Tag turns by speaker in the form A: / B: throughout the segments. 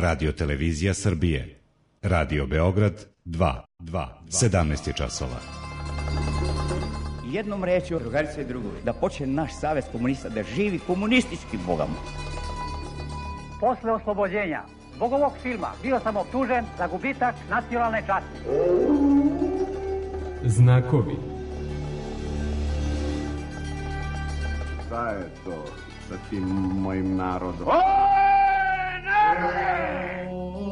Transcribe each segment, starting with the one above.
A: Radio Televizija Srbije. Radio Beograd 2. 17 je časova.
B: Jednom rečju, drugarice i drugovi, da počne naš savez komunista da živi komunistički bogama.
C: Posle oslobođenja zbog ovog filma bio sam optužen za gubitak nacionalne časti.
D: Znakovi.
E: Šta je to sa tim mojim narodom?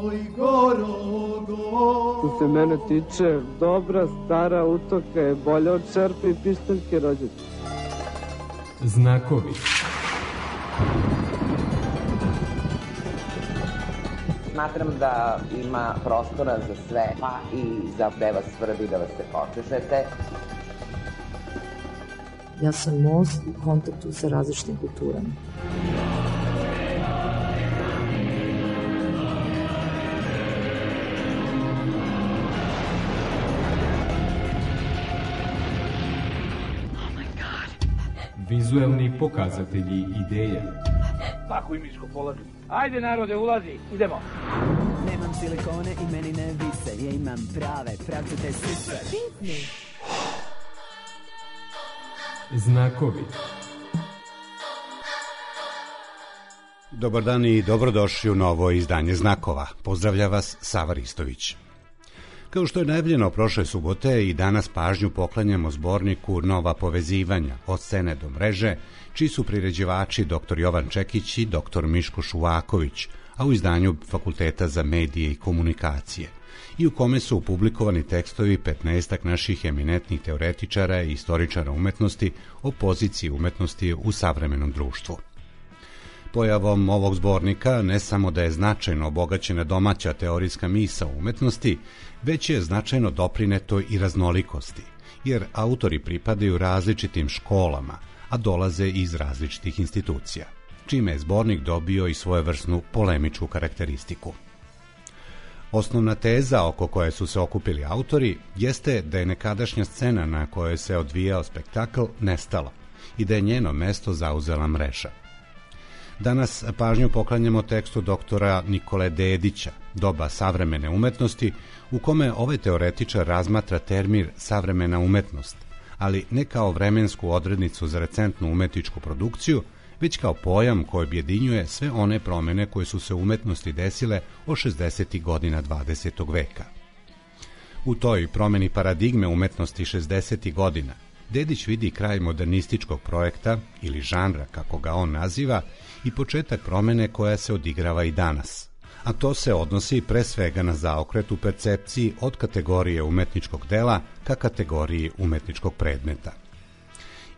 F: Oj, Gorogo.
G: Što se mene tiče, dobra stara utoka je bolja od čerpe i pištaljke rođaca.
D: Znakovi.
H: Smatram da ima prostora za sve, pa i za gde vas svrbi da vas se počešete.
I: Ja sam most u kontaktu sa različitim kulturama.
D: Vizuelni pokazatelji ideje.
C: Paku i miško polazi. Ajde narode, ulazi, idemo.
J: Nemam silikone i meni ne vise, ja imam prave, pravcate sise.
D: Znakovi.
A: Dobar dan i dobrodošli u novo izdanje Znakova. Pozdravlja vas Sava Ristović. Kao što je najavljeno prošle subote, i danas pažnju poklanjamo zborniku Nova povezivanja od scene do mreže, čiji su priređivači dr. Jovan Čekić i dr. Miško Šuvaković, a u izdanju Fakulteta za medije i komunikacije, i u kome su publikovani tekstovi 15 naših eminentnih teoretičara i istoričara umetnosti o poziciji umetnosti u savremenom društvu. Pojavom ovog zbornika ne samo da je značajno obogaćena domaća teorijska misao umetnosti, već je značajno doprineto i raznolikosti, jer autori pripadaju različitim školama, a dolaze iz različitih institucija, čime je zbornik dobio i svojevrsnu polemičku karakteristiku. Osnovna teza oko koje su se okupili autori jeste da je nekadašnja scena na kojoj se odvijao spektakl nestala i da je njeno mesto zauzela mreža. Danas pažnju poklanjamo tekstu doktora Nikole Dedića, Doba savremene umetnosti, u kome ovaj teoretičar razmatra termin savremena umetnost, ali ne kao vremensku odrednicu za recentnu umetničku produkciju, već kao pojam koji objedinjuje sve one promene koje su se u umetnosti desile od 60. godina 20. veka. U toj promeni paradigme umetnosti 60. godina Dedić vidi kraj modernističkog projekta ili žanra, kako ga on naziva, i početak promene koja se odigrava i danas. A to se odnosi pre svega na zaokret u percepciji od kategorije umetničkog dela ka kategoriji umetničkog predmeta.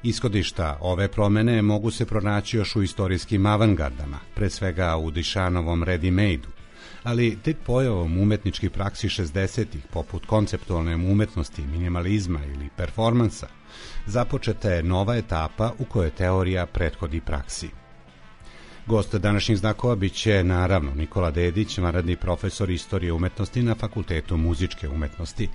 A: Ishodišta ove promene mogu se pronaći još u istorijskim avangardama, pre svega u Dišanovom ready-made-u, ali tek pojavom umetničkih praksi 60-ih, poput konceptualne umetnosti, minimalizma ili performansa, započeta je nova etapa u kojoj teorija prethodi praksi. Gost današnjih znakova biće naravno Nikola Dedić, vanredni profesor istorije umetnosti na Fakultetu muzičke umetnosti.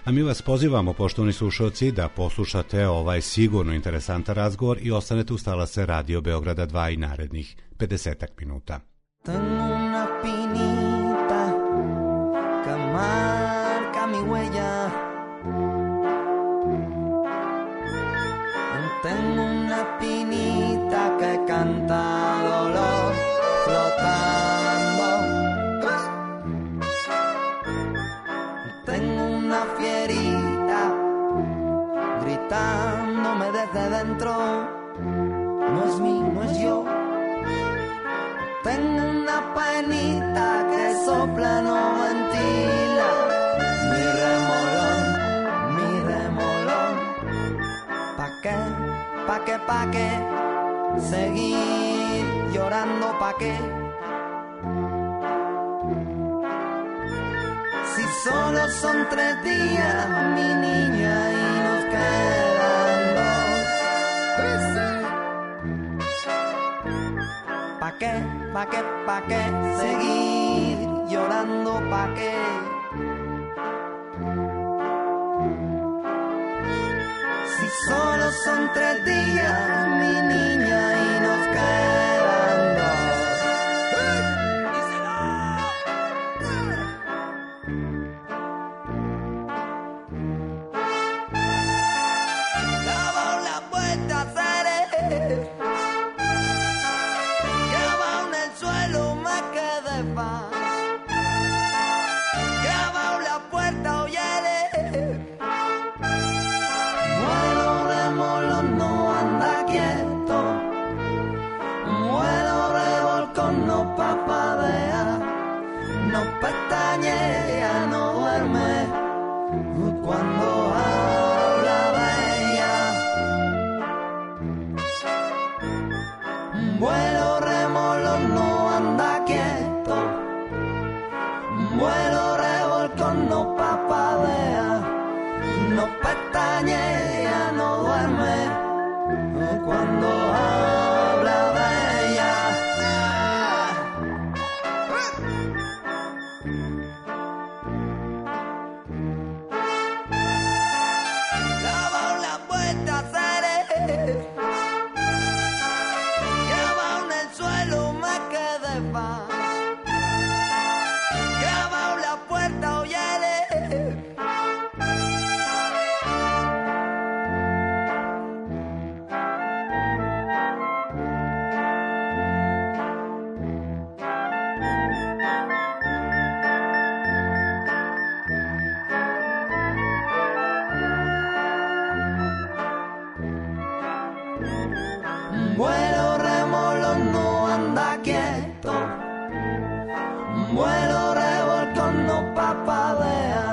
A: A mi vas pozivamo, poštovani slušalci, da poslušate ovaj sigurno interesantan razgovor i ostanete uz talase Radio Beograda 2 i narednih 50 minuta.
J: Tengo una pinita que marca mi huella. Tengo una pinita que canta dolor flotando. Tengo una fierita gritándome desde dentro. No es mí, no es yo. Tengo una penita que sopla, no ventila. Mi remolón, mi remolón. ¿Pa' qué? ¿Pa' qué? Seguir llorando, ¿pa' qué? Si solo son 3 días, mi niña, y nos quedan 2. ¿Pa' qué? ¿Pa' qué? ¿Pa' qué? Seguir llorando, ¿pa' qué? Si solo son 3 días, mi niña, y nos quedan 2. pestañea, ella no duerme cuando habla de ella. Llama la puerta, seré. Llama en el suelo, me quedé pa. Llama la puerta, oyele. Vuelo remolón no anda quieto, vuelo revolcón no papadea,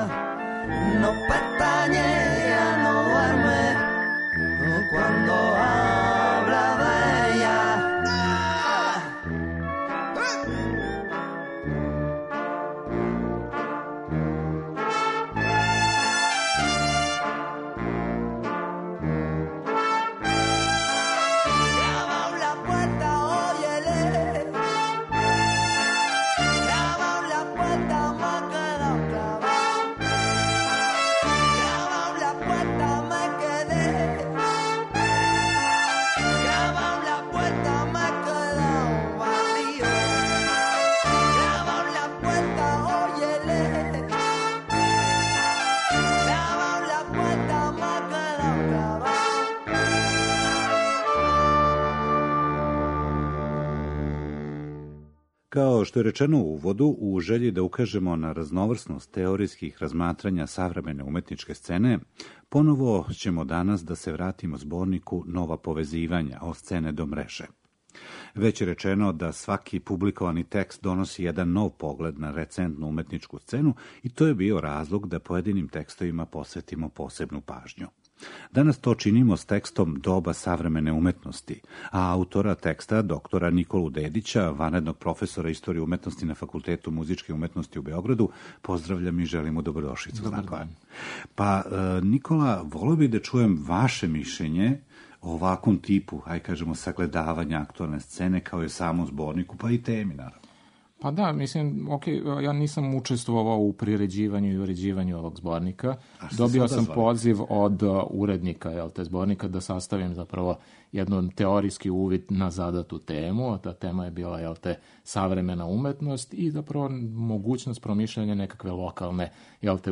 J: no pestañea, no duerme cuando habla de ella.
A: Kao što je rečeno u uvodu, u želji da ukažemo na raznovrsnost teorijskih razmatranja savremene umetničke scene, ponovo ćemo danas da se vratimo zborniku Nova povezivanja od scene do mreže. Već je rečeno da svaki publikovani tekst donosi jedan nov pogled na recentnu umetničku scenu i to je bio razlog da pojedinim tekstovima posvetimo posebnu pažnju. Danas to činimo s tekstom Doba savremene umetnosti, a autora teksta, doktora Nikolu Dedića, vanrednog profesora istorije umetnosti na Fakultetu muzičke umetnosti u Beogradu, pozdravljam i želim mu dobrodošlicu. Pa, Nikola, volio bih da čujem vaše mišljenje o ovakvom tipu, aj kažemo, sagledavanja aktualne scene kao i samom zborniku, pa i temi, naravno.
F: Pa da, mislim, ja nisam učestvovao u priređivanju i uređivanju ovog zbornika. Dobio sam poziv od urednika te zbornika da sastavim zapravo jedan teorijski uvid na zadatu temu. Ta tema je bila savremena umetnost i zapravo mogućnost promišljanja nekakve lokalne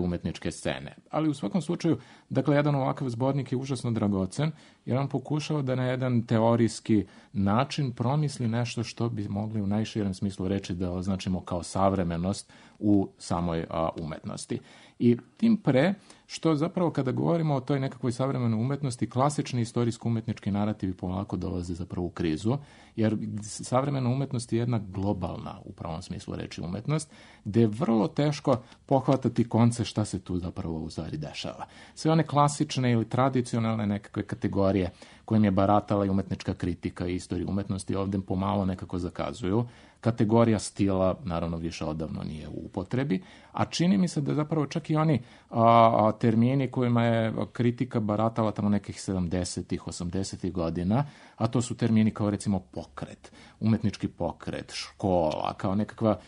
F: umetničke scene. Ali u svakom slučaju, dakle, jedan ovakav zbornik je užasno dragocen jer on pokušao da na jedan teorijski način promisli nešto što bi mogli u najširem smislu reći da označimo kao savremenost u samoj umetnosti. I tim pre, što zapravo kada govorimo o toj nekakvoj savremenoj umetnosti, klasični istorijsko-umetnički narativi polako dolaze zapravo u krizu, jer savremena umetnost je jedna globalna, u pravom smislu reči, umetnost, gde je vrlo teško pohvatati konce šta se tu zapravo u stvari dešava. Sve one klasične ili tradicionalne nekakve kategorije kojim je baratala i umetnička kritika i istorija umetnosti ovdje pomalo nekako zakazuju. Kategorija stila, naravno, više odavno nije u upotrebi, a čini mi se da zapravo čak i oni termini kojima je kritika baratala tamo nekih 70-ih, 80-ih godina, a to su termini kao recimo pokret, umetnički pokret, škola, kao nekakva,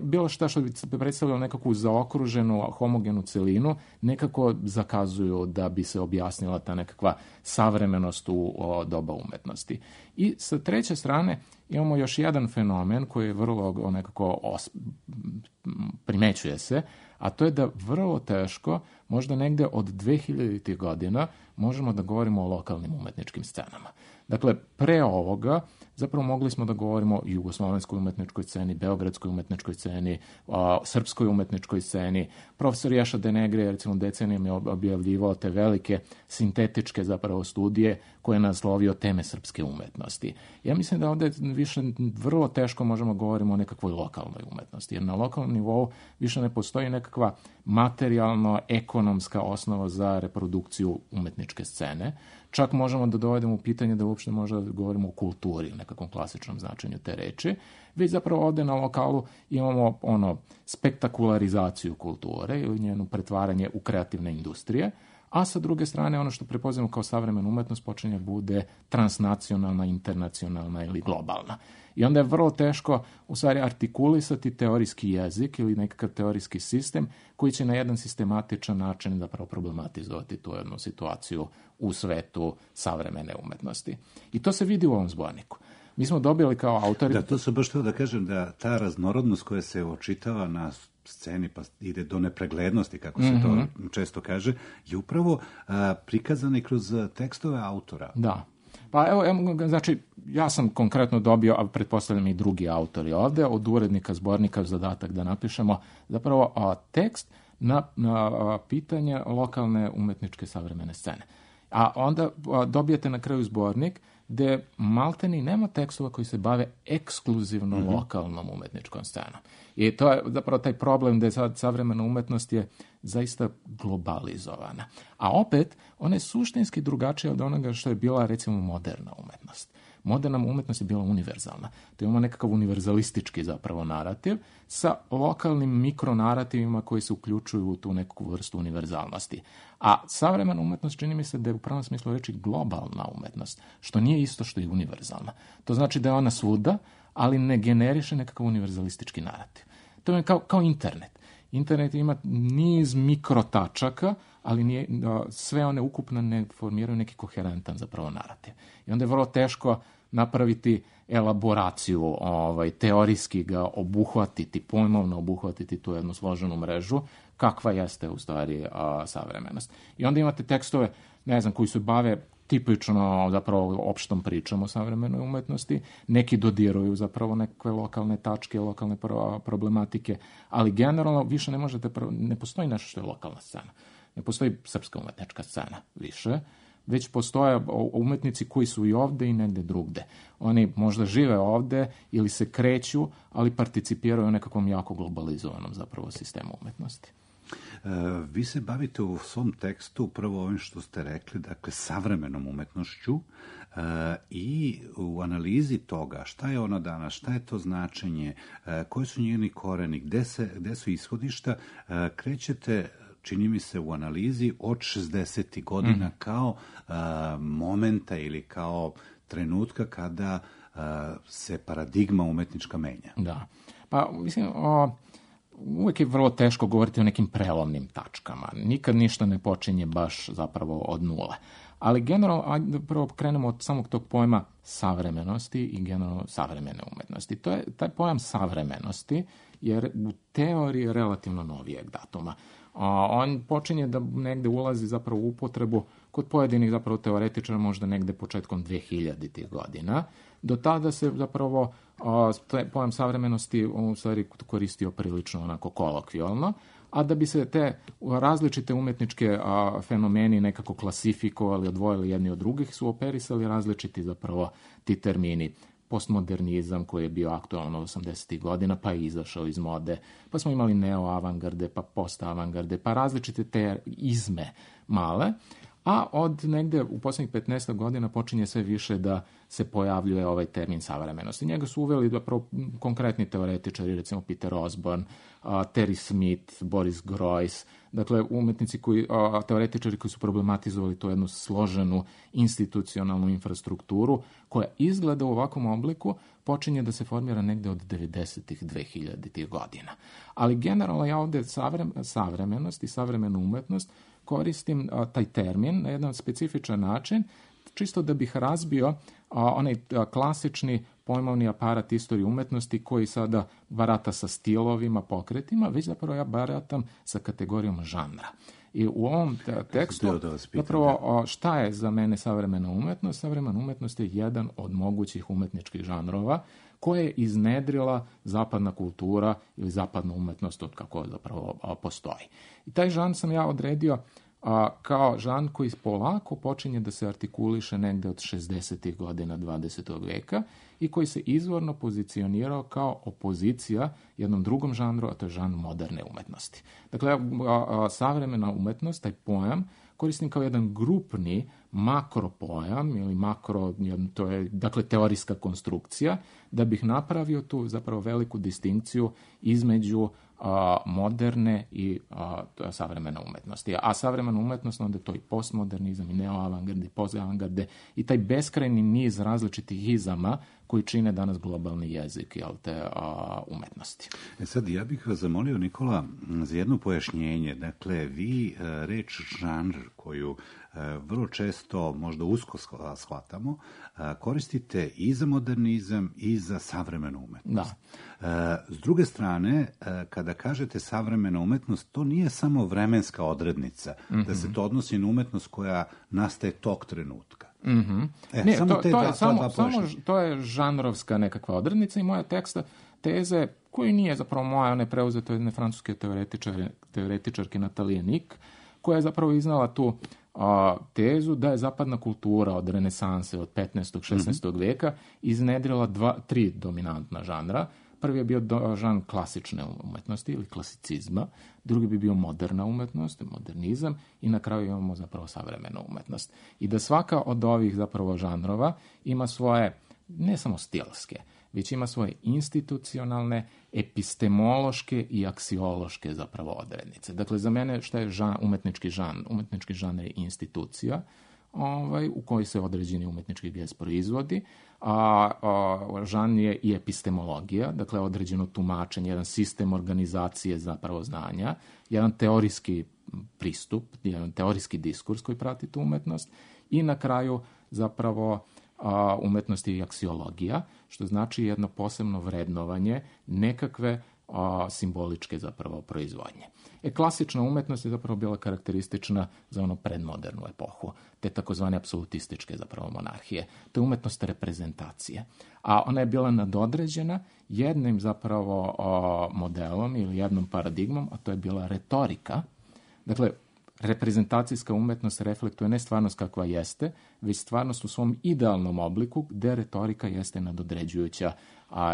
F: bilo šta što bi predstavljalo nekakvu zaokruženu, homogenu celinu, nekako zakazuju da bi se objasnila ta nekakva savremenost u doba umetnosti. I sa treće strane imamo još jedan fenomen koji je vrlo nekako primećuje se, a to je da vrlo teško, možda negde od 2000. godina, možemo da govorimo o lokalnim umetničkim scenama. Dakle, pre ovoga zapravo mogli smo da govorimo o jugoslovenskoj umetničkoj sceni, beogradskoj umetničkoj sceni, srpskoj umetničkoj sceni. Profesor Ješa Denegre, recimo, decenijama je objavljivao te velike sintetičke zapravo studije koje je naslovio teme srpske umetnosti. Ja mislim da ovdje više vrlo teško možemo govorimo o nekakvoj lokalnoj umetnosti, jer na lokalnom nivou više ne postoji nekakva materijalno-ekonomska osnova za reprodukciju umetničke scene. Čak možemo da dovedemo u pitanje da uopšte možda govorimo o kulturi, u nekakvom klasičnom značenju te reči. Već zapravo ovdje na lokalu imamo spektakularizaciju kulture ili njenu pretvaranje u kreativne industrije, a sa druge strane ono što prepoznajemo kao savremena umetnost počinje bude transnacionalna, internacionalna ili globalna. I onda je vrlo teško u stvari artikulisati teorijski jezik ili nekakav teorijski sistem koji će na jedan sistematičan način zapravo problematizovati tu jednu situaciju u svetu savremene umetnosti. I to se vidi u ovom zborniku. Mi smo dobili kao autori...
A: Da, to sam baš htio da kažem da ta raznorodnost koja se očitava na sceni pa ide do nepreglednosti, kako se to često kaže, je upravo prikazana i kroz tekstove autora.
F: Da. Pa evo, znači, ja sam konkretno dobio, a pretpostavljam i drugi autori ovde, od urednika zbornika zadatak da napišemo zapravo tekst na pitanje lokalne umetničke savremene scene. A onda dobijete na kraju zbornik gde malteni nema tekstova koji se bave ekskluzivno lokalnom umetničkom scenom. I to je zapravo taj problem da je savremena umetnost je zaista globalizovana. A opet, ona je suštinski drugačija od onoga što je bila, recimo, moderna umetnost. Moderna umetnost je bila univerzalna. To imamo nekakav univerzalistički zapravo narativ sa lokalnim mikronarativima koji se uključuju u tu neku vrstu univerzalnosti. A savremena umetnost čini mi se da je u pravom smislu reči globalna umetnost, što nije isto što je univerzalna. To znači da je ona svuda, ali ne generiše nekakav univerzalistički narativ. To je kao internet. Internet ima niz mikrotačaka, ali sve one ukupno ne formiraju neki koherentan zapravo narativ. I onda je vrlo teško napraviti elaboraciju, teorijski ga obuhvatiti, pojmovno obuhvatiti tu jednu složenu mrežu, kakva jeste u stvari savremenost. I onda imate tekstove, ne znam, koji se bave tipično zapravo opštom pričom o savremenoj umetnosti, neki dodiruju zapravo neke lokalne tačke, lokalne problematike, ali generalno više ne postoji nešto što je lokalna scena. Ne postoji srpska umetnička scena više, već postoje umetnici koji su i ovde i negde drugde. Oni možda žive ovde ili se kreću, ali participiraju u nekakvom jako globalizovanom zapravo sistemu umetnosti.
A: Vi se bavite u svom tekstu upravo ovim što ste rekli, dakle, savremenom umetnošću i u analizi toga šta je ona danas, šta je to značenje, koji su njeni koreni, gde su ishodišta, krećete, čini mi se, u analizi od 60. godina kao momenta ili kao trenutka kada se paradigma umetnička menja.
F: Da. Pa, mislim, uvek je vrlo teško govoriti o nekim prelomnim tačkama. Nikad ništa ne počinje baš zapravo od nule. Ali generalno, prvo krenemo od samog tog pojma savremenosti i generalno savremene umetnosti. To je taj pojam savremenosti, jer u teoriji je relativno novijeg datuma. On počinje da negde ulazi zapravo u upotrebu kod pojedinih zapravo teoretičara možda negde početkom 2000-ih godina. Do tada se zapravo pojam savremenosti u stvari koristio prilično onako kolokvijalno, a da bi se te različite umetničke fenomeni nekako klasifikovali, odvojili jedni od drugih, su operisali različiti zapravo ti termini. Postmodernizam koji je bio aktualno 80. godina, pa je izašao iz mode, pa smo imali neo-avangarde, pa post-avangarde, pa različite te izme male, a od negde u poslednjih 15 godina počinje sve više da se pojavljuje ovaj termin savremenosti. Njega su uveli zapravo konkretni teoretičari, recimo Peter Osborne, Terry Smith, Boris Groys, dakle umetnici teoretičari koji su problematizovali tu jednu složenu institucionalnu infrastrukturu koja izgleda u ovakvom obliku počinje da se formira negde od 90-ih, 2000-ih godina. Ali generalno ja ovde savremenost i savremenu umetnost koristim taj termin na jedan specifičan način, čisto da bih razbio onaj klasični pojmovni aparat istorije umetnosti koji sada barata sa stilovima, pokretima, već zapravo ja baratam sa kategorijom žanra. I u ovom tekstu zapravo šta je za mene savremena umetnost? Savremena umetnost je jedan od mogućih umetničkih žanrova koje je iznedrila zapadna kultura ili zapadna umetnost od kako zapravo postoji. I taj žanr sam ja odredio kao žanr koji polako počinje da se artikuliše negde od 60. godina 20. veka i koji se izvorno pozicionirao kao opozicija jednom drugom žanru, a to je žanr moderne umetnosti. Dakle, savremena umetnost, taj pojam, koristim kao jedan grupni makropojam ili to je dakle teorijska konstrukcija, da bih napravio tu zapravo veliku distinkciju između moderne i savremene umetnosti. A savremena umetnost, onda to i postmodernizam, i neoavangarde, i postavangarde, i taj beskrajni niz različitih izama koji čine danas globalni jezik te umetnosti.
A: Sad, ja bih vas zamolio, Nikola, za jedno pojašnjenje. Dakle, vi reč žanr koju vrlo često, možda usko shvatamo, koristite i za modernizam i za savremenu umetnost. Da. S druge strane, kada kažete savremena umetnost, to nije samo vremenska odrednica, da se to odnosi na umetnost koja nastaje tog trenutka.
F: To je žanrovska nekakva odrednica i moja teze, koji nije zapravo moja, ona je preuzeta jedne francuske teoretičarke Natalije Nik, koja je zapravo iznala tu tezu da je zapadna kultura od renesanse, od 15. 16. veka iznedrila tri dominantna žanra. Prvi je bio žanr klasične umetnosti ili klasicizma, drugi bi bio moderna umetnost, modernizam, i na kraju imamo zapravo savremenu umetnost. I da svaka od ovih zapravo žanrova ima svoje, ne samo stilske, već ima svoje institucionalne, epistemološke i aksiološke zapravo odrednice. Dakle, za mene šta je umetnički žanr? Umetnički žanr je institucija u kojoj se određeni umetnički gest proizvodi, žanr je i epistemologija, dakle određeno tumačenje, jedan sistem organizacije zapravo znanja, jedan teorijski pristup, jedan teorijski diskurs koji prati tu umetnost, i na kraju zapravo umetnosti i aksiologija, što znači jedno posebno vrednovanje nekakve simboličke zapravo proizvodnje. Klasična umetnost je zapravo bila karakteristična za ono predmodernu epohu, te takozvane apsolutističke zapravo monarhije. To je umetnost reprezentacije. A ona je bila nadodređena jednim zapravo modelom ili jednom paradigmom, a to je bila retorika. Dakle, reprezentacijska umetnost reflektuje ne stvarnost kakva jeste, već stvarnost u svom idealnom obliku, gde retorika jeste nadodređujuća,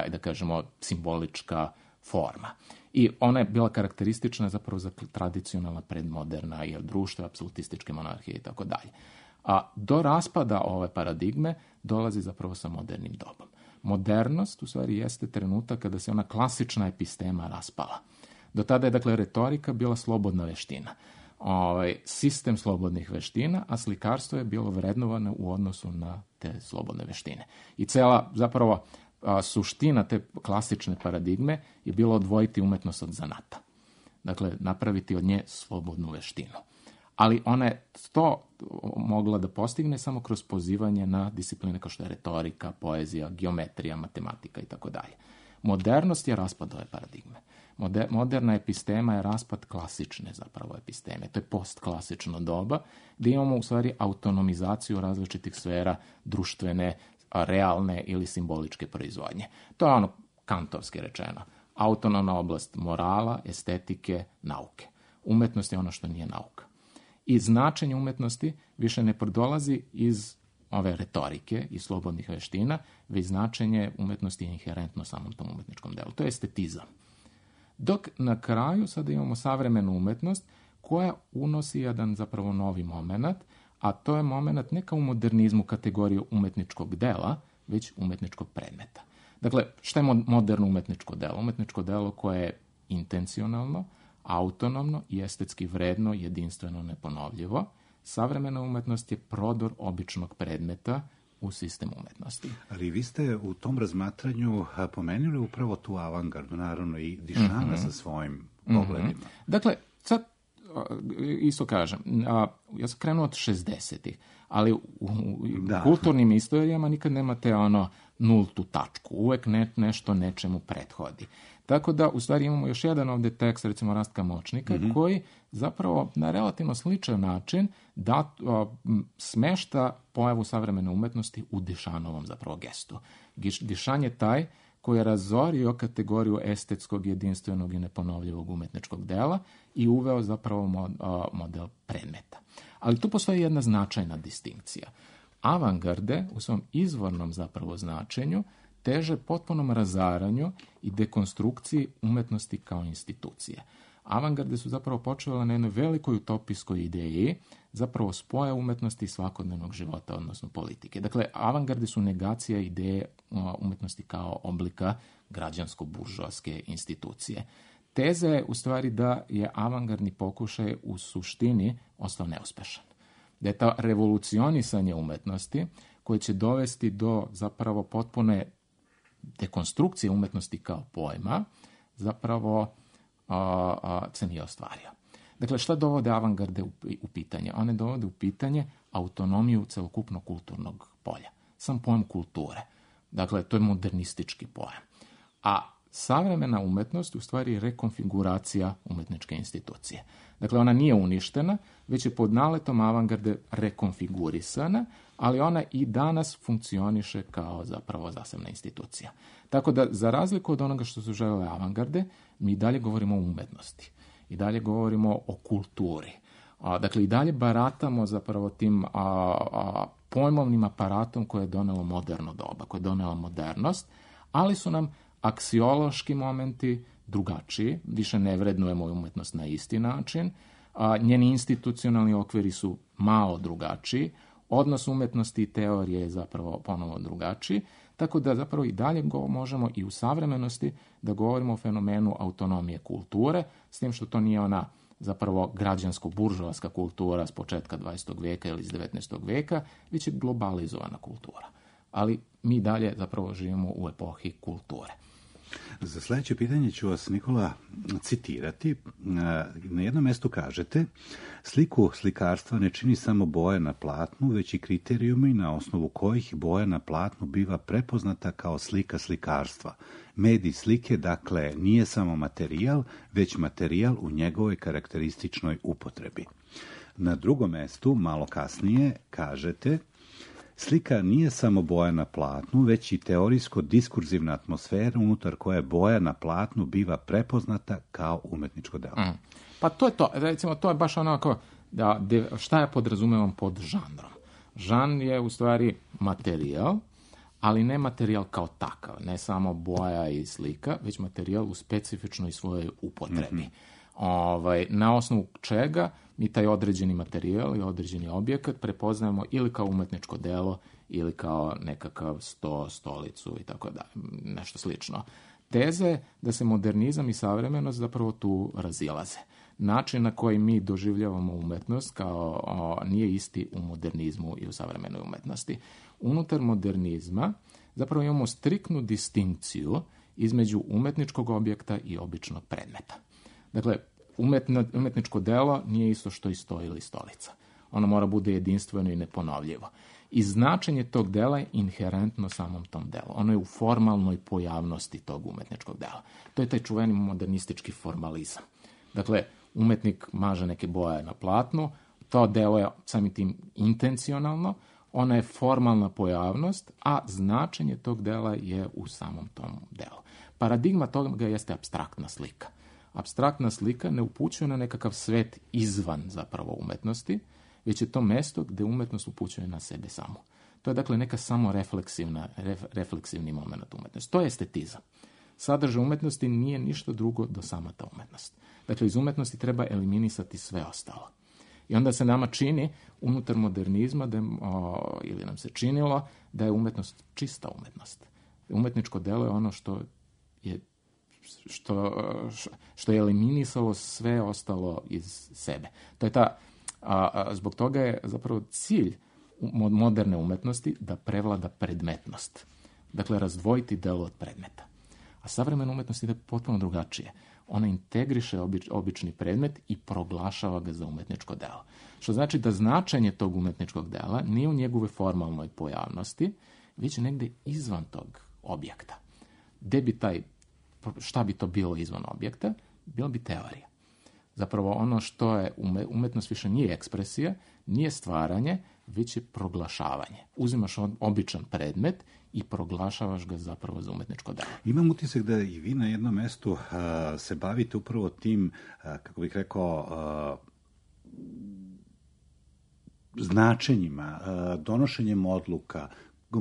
F: da kažemo, simbolička forma. I ona je bila karakteristična zapravo za tradicionalna predmoderna društva, apsolutističke monarhije i tako dalje. A do raspada ove paradigme dolazi zapravo sa modernim dobom. Modernost u stvari jeste trenutak kada se ona klasična epistema raspala. Do tada je dakle retorika bila slobodna veština. Sistem slobodnih veština, a slikarstvo je bilo vrednovano u odnosu na te slobodne veštine. I cela zapravo suština te klasične paradigme je bilo odvojiti umetnost od zanata. Dakle, napraviti od nje slobodnu veštinu. Ali ona je to mogla da postigne samo kroz pozivanje na discipline kao što je retorika, poezija, geometrija, matematika i tako dalje. Modernost je raspad ove paradigme. Moderna epistema je raspad klasične zapravo episteme. To je postklasično doba gdje imamo u stvari autonomizaciju različitih sfera društvene, realne ili simboličke proizvodnje. To je ono kantovski rečeno. Autonomna oblast morala, estetike, nauke. Umetnost je ono što nije nauka. I značenje umetnosti više ne dolazi iz ove retorike i slobodnih veština, već značenje umetnosti je inherentno samom tom umetničkom delu. To je estetizam. Dok na kraju sada imamo savremenu umetnost koja unosi jedan zapravo novi moment, a to je moment ne kao u modernizmu kategoriju umetničkog dela, već umetničkog predmeta. Dakle, šta je moderno umetničko delo? Umetničko delo koje je intencionalno, autonomno i estetski vredno, jedinstveno, neponovljivo. Savremena umetnost je prodor običnog predmeta u sistem umetnosti.
A: Ali vi ste u tom razmatranju pomenuli upravo tu avangardu, naravno i Dišana sa svojim pogledima.
F: Dakle, sad isto kažem, ja sam krenuo od 60-ih, ali u kulturnim istorijama nikad nemate nultu tačku. Uvek nešto nečemu prethodi. Tako da, u stvari, imamo još jedan ovdje tekst, recimo Rastka Močnika, koji zapravo na relativno sličan način smešta pojavu savremene umetnosti u Dišanovom zapravo gestu. Dišan je taj koji je razorio kategoriju estetskog, jedinstvenog i neponovljivog umetničkog dela i uveo zapravo model predmeta. Ali tu postoji jedna značajna distinkcija. Avangarde u svom izvornom zapravo značenju teže potpunom razaranju i dekonstrukciji umetnosti kao institucije. Avangarde su zapravo počele na jednoj velikoj utopijskoj ideji zapravo spoja umetnosti i svakodnevnog života, odnosno politike. Dakle, avangarde su negacija ideje umetnosti kao oblika građansko-buržoaske institucije. Teza je u stvari da je avangardni pokušaj u suštini ostao neuspešan. Da je to revolucionisanje umetnosti koje će dovesti do zapravo potpune dekonstrukcije umetnosti kao pojma, zapravo se nije ostvario. Dakle, šta dovode avangarde u pitanje? One dovode u pitanje autonomiju celokupnog kulturnog polja. Sam pojam kulture. Dakle, to je modernistički pojam. A savremena umetnost u stvari je rekonfiguracija umetničke institucije. Dakle, ona nije uništena, već je pod naletom avangarde rekonfigurisana, ali ona i danas funkcioniše kao zapravo zasebna institucija. Tako da, za razliku od onoga što su želele avangarde, mi dalje govorimo o umetnosti. I dalje govorimo o kulturi. Dakle, i dalje baratamo zapravo tim pojmovnim aparatom koje je donelo moderno doba, koje je donela modernost, ali su nam aksiološki momenti drugačiji, više ne vrednujemo umetnost na isti način, njeni institucionalni okviri su malo drugačiji, odnos umetnosti i teorije je zapravo ponovo drugačiji, tako da zapravo i dalje možemo i u savremenosti da govorimo o fenomenu autonomije kulture, s tim što to nije ona zapravo građansko-buržoaska kultura s početka 20. veka ili iz 19. veka, već je globalizovana kultura. Ali mi dalje zapravo živimo u epohi kulture.
A: Za sljedeće pitanje ću vas, Nikola, citirati. Na jednom mjestu kažete: sliku slikarstva ne čini samo boja na platnu, već i kriterijumi na osnovu kojih boja na platnu biva prepoznata kao slika slikarstva. Medij slike, dakle, nije samo materijal, već materijal u njegovoj karakterističnoj upotrebi. Na drugom mjestu, malo kasnije, kažete: slika nije samo boja na platnu, već i teorijsko-diskurzivna atmosfera unutar koje boja na platnu biva prepoznata kao umetničko delo.
F: Pa to je to. Recimo, to je baš onako, šta ja podrazumevam pod žanrom. Žanr je u stvari materijal, ali ne materijal kao takav, ne samo boja i slika, već materijal u specifičnoj svojoj upotrebi. Na osnovu čega mi taj određeni materijal i određeni objekat prepoznajemo ili kao umetničko delo ili kao nekakav stolicu i tako da, nešto slično. Teza je da se modernizam i savremenost zapravo tu razilaze. Način na koji mi doživljavamo umetnost nije isti u modernizmu i u savremenoj umetnosti. Unutar modernizma zapravo imamo striktnu distinkciju između umetničkog objekta i običnog predmeta. Dakle, umetničko delo nije isto što i sto ili stolica. Ono mora bude jedinstveno i neponovljivo. I značenje tog dela je inherentno samom tom delu. Ono je u formalnoj pojavnosti tog umetničkog dela. To je taj čuveni modernistički formalizam. Dakle, umetnik maže neke boje na platnu, to delo je samim tim intencionalno, ona je formalna pojavnost, a značenje tog dela je u samom tom delu. Paradigma toga jeste apstraktna slika. Apstraktna slika ne upućuje na nekakav svet izvan zapravo umetnosti, već je to mesto gdje umetnost upućuje na sebe samu. To je dakle neka refleksivni moment umetnosti. To je estetizam. Sadržaj umetnosti nije ništa drugo do sama ta umetnost. Dakle, iz umetnosti treba eliminisati sve ostalo. I onda se nama čini unutar modernizma, ili nam se činilo, da je umetnost čista umetnost. Umetničko delo je ono što je eliminisalo sve ostalo iz sebe. To je zbog toga je zapravo cilj moderne umetnosti da prevlada predmetnost. Dakle, razdvojiti delo od predmeta. A savremena umetnost ide potpuno drugačije. Ona integriše obični predmet i proglašava ga za umetničko delo. Što znači da značenje tog umetničkog dela nije u njegove formalnoj pojavnosti, već negdje izvan tog objekta. Šta bi to bilo izvan objekta? Bila bi teorija. Zapravo ono što je umetnost više nije ekspresija, nije stvaranje, već je proglašavanje. Uzimaš običan predmet i proglašavaš ga zapravo za umetničko delo.
A: Imam utisak da i vi na jednom mjestu se bavite upravo tim, kako bih rekao, značenjima, donošenjem odluka,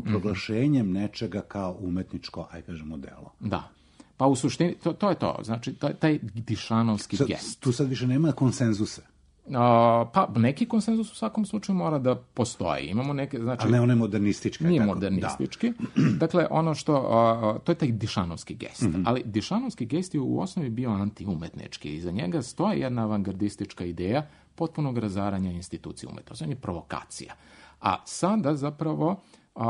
A: proglašenjem nečega kao umetničko, aj kažemo, delo.
F: Da. Pa u suštini, to je to. Znači, taj dišanovski gest.
A: Tu sad više nema konsenzusa.
F: Pa neki konsenzus u svakom slučaju mora da postoji. Imamo neke, znači...
A: Ali ne one modernističke.
F: Nije modernistički. Dakle, ono što... to je taj dišanovski gest. Ali dišanovski gest je u osnovi bio antiumetnički. Iza njega stoji jedna avangardistička ideja potpunog razaranja institucije umetnosti. On je provokacija. A sada zapravo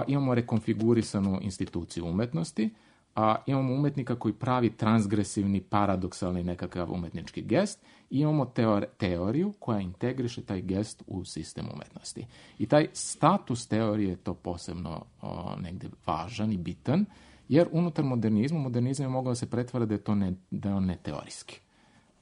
F: imamo rekonfigurisanu instituciju umetnosti, imamo umetnika koji pravi transgresivni, paradoksalni nekakav umetnički gest i imamo teoriju koja integriše taj gest u sistem umetnosti. I taj status teorije je to posebno negde važan i bitan, jer unutar modernizam je mogao da se pretvara da je on neteorijski.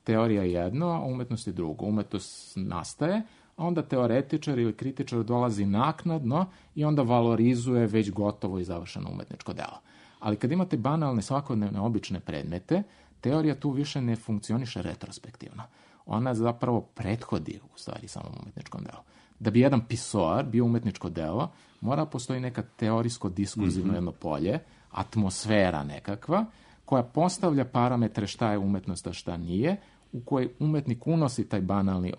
F: Teorija je jedno, a umetnost je drugo. Umetnost nastaje, a onda teoretičar ili kritičar dolazi naknadno i onda valorizuje već gotovo i završeno umetničko delo. Ali kad imate banalne, svakodnevne, obične predmete, teorija tu više ne funkcioniše retrospektivno. Ona zapravo prethodi u stvari samom umetničkom delu. Da bi jedan pisoar bio umetničko delo, mora postoji neka teorijsko-diskurzivno jedno polje, atmosfera nekakva, koja postavlja parametre šta je umetnost, a šta nije, u kojoj umetnik unosi taj banalni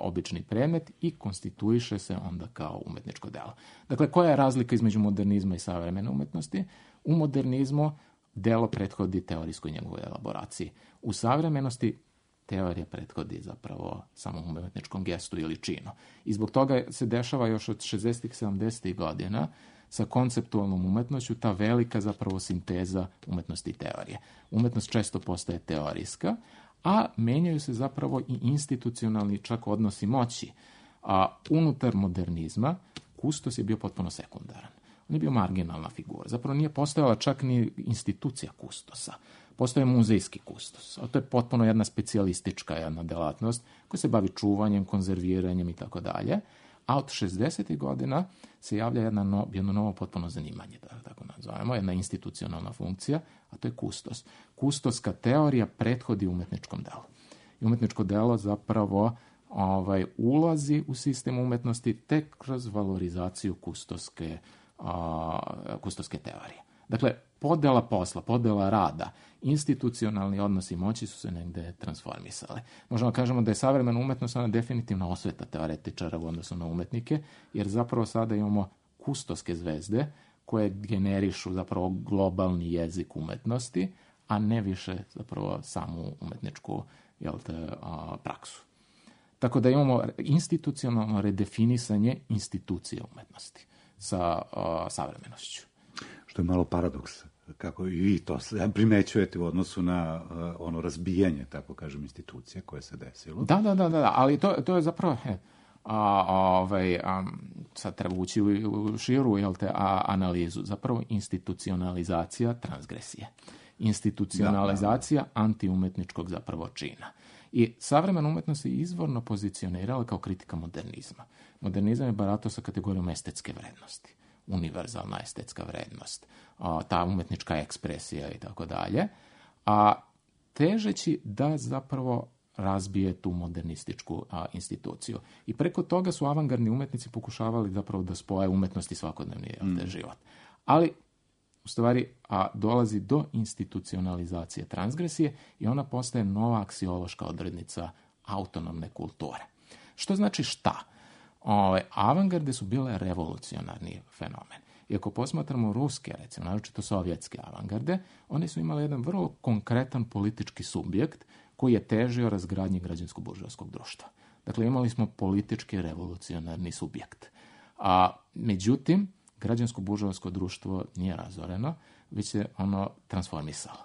F: obični predmet i konstituiše se onda kao umetničko delo. Dakle, koja je razlika između modernizma i savremene umetnosti? U modernizmu delo prethodi teorijskoj njegovoj elaboraciji. U savremenosti teorija prethodi zapravo samom umetničkom gestu ili činu. I zbog toga se dešava još od 60-ih, 70-ih godina sa konceptualnom umetnošću ta velika zapravo sinteza umetnosti i teorije. Umetnost često postaje teorijska, a menjaju se zapravo i institucionalni čak odnosi moći. Unutar modernizma kustos je bio potpuno sekundaran. On je bio marginalna figura. Zapravo nije postojala čak ni institucija kustosa. Postoje muzejski kustos. A to je potpuno jedna specijalistička jedna delatnost koja se bavi čuvanjem, konzerviranjem i tako dalje. A od 60. godina se javlja jedno novo potpuno zanimanje, da tako nazovemo, jedna institucionalna funkcija, a to je kustos. Kustoska teorija prethodi umetničkom delu. I umetničko delo zapravo ulazi u sistem umetnosti tek kroz valorizaciju kustoske teorije. Dakle, podela posla, podela rada, institucionalni odnosi moći su se negde transformisali. Možemo kažemo da je savremena umetnost ona definitivna osveta teoretičara u odnosu na umetnike, jer zapravo sada imamo kustoske zvezde koje generišu zapravo globalni jezik umetnosti, a ne više zapravo samu umetničku praksu. Tako da imamo institucionalno redefinisanje institucije umetnosti sa savremenošću.
A: Što je malo paradoks, kako i vi to primećujete u odnosu na ono razbijanje, tako kažem, institucija koje se desilo.
F: Da, ali to je zapravo... sad treba ući u širu analizu. Zapravo institucionalizacija transgresije. Institucionalizacija antiumetničkog zapravo čina. I savremena umetnost se izvorno pozicionirala kao kritika modernizma. Modernizam je baratao sa kategorijom estetske vrednosti. Univerzalna estetska vrednost, ta umetnička ekspresija i tako dalje, a težeći da zapravo razbije tu modernističku instituciju. I preko toga su avangardni umetnici pokušavali zapravo da spoje umetnost i svakodnevni život. Ali, u stvari, dolazi do institucionalizacije transgresije i ona postaje nova aksiološka odrednica autonomne kulture. Što znači šta? Avangarde su bile revolucionarni fenomen. I ako posmatramo ruske, recimo, naročito sovjetske avangarde, one su imale jedan vrlo konkretan politički subjekt koji je težio razgradnji građansko-buržoaskog društva. Dakle, imali smo politički revolucionarni subjekt. Međutim, građansko-buržoasko društvo nije razoreno, već se ono transformisalo.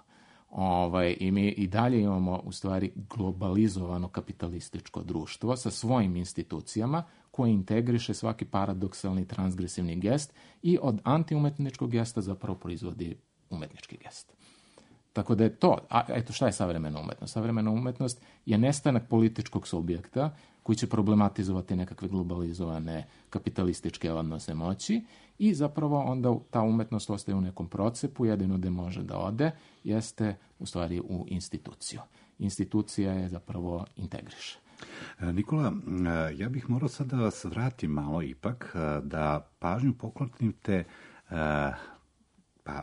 F: I mi i dalje imamo u stvari globalizovano kapitalističko društvo sa svojim institucijama koje integriše svaki paradoksalni transgresivni gest i od antiumetničkog gesta zapravo proizvodi umetnički gest. Tako da je to, eto šta je savremena umetnost? Savremena umetnost je nestanak političkog subjekta koji će problematizovati nekakve globalizovane kapitalističke odnose moći i zapravo onda ta umetnost ostaje u nekom procepu, jedino gde može da ode jeste u stvari u instituciju. Institucija je zapravo integriše.
A: Nikola, ja bih morao sad da vas vratim malo ipak, da pažnju poklonite Pa,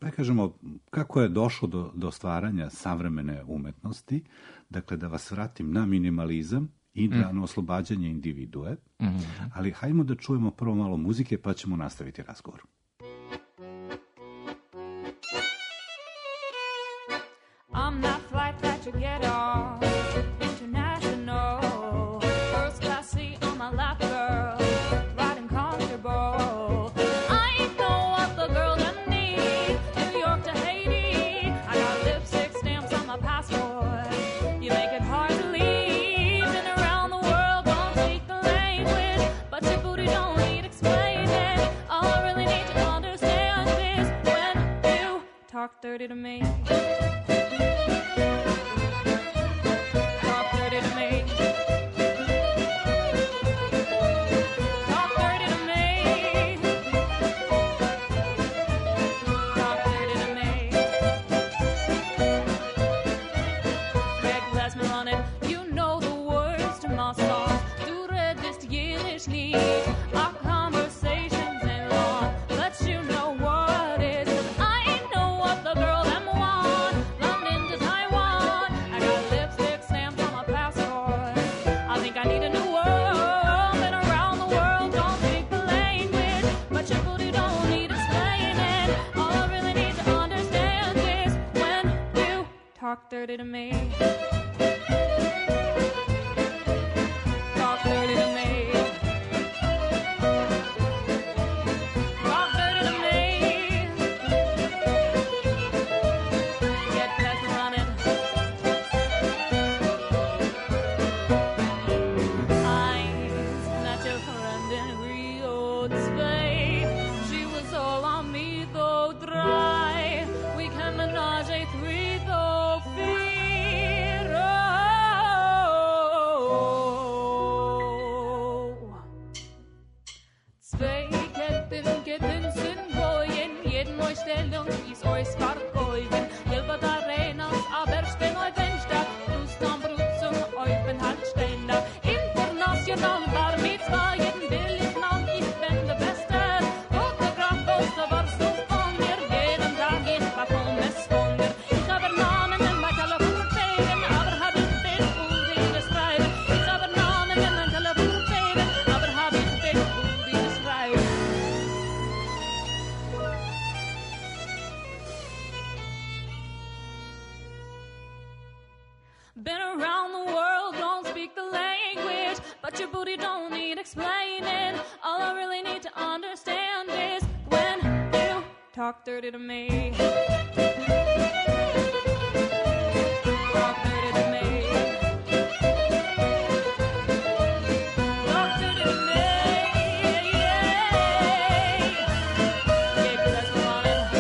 A: da kažemo, kako je došlo do stvaranja savremene umetnosti, dakle da vas vratim na minimalizam i na oslobađanje individue, ali hajmo da čujemo prvo malo muzike pa ćemo nastaviti razgovor.
K: I'm that flight that you get on, international, first class seat on my lap, girl, riding comfortable. I know what the girl them need, New York to Haiti, I got lipstick stamps on my passport, you make it hard to leave, been around the world, don't speak the language, but your booty don't need explaining, all I really need to understand is when you talk dirty to me. Talk dirty to me. Talk dirty to me. Talk dirty to me. Get past me running. Eyes met your friend in Rio de Spain. She was all on me though dry. We can menage a three though. Is euch vergeugen, Gilbert Arenas, aber stehen euch Fenster, Rustam Brutzum, euch bin Handständer, international Bar Mitzvah, jeden will ich noch, ich bin der Beste, Fotograf, Poster, warst du von mir, jeden Tag ich bekomme es von dir, ich habe Namen in mein Telefon fegen, aber hab ich dich für dich schreiben, ich habe Namen in mein Telefon fegen, aber hab ich dich für dich schreiben. Been around the world, don't speak the language, but your booty don't need explaining. All I really need to understand is when you talk dirty to me. Talk dirty to me. Talk dirty to me. Yeah, 'cause that's what I want.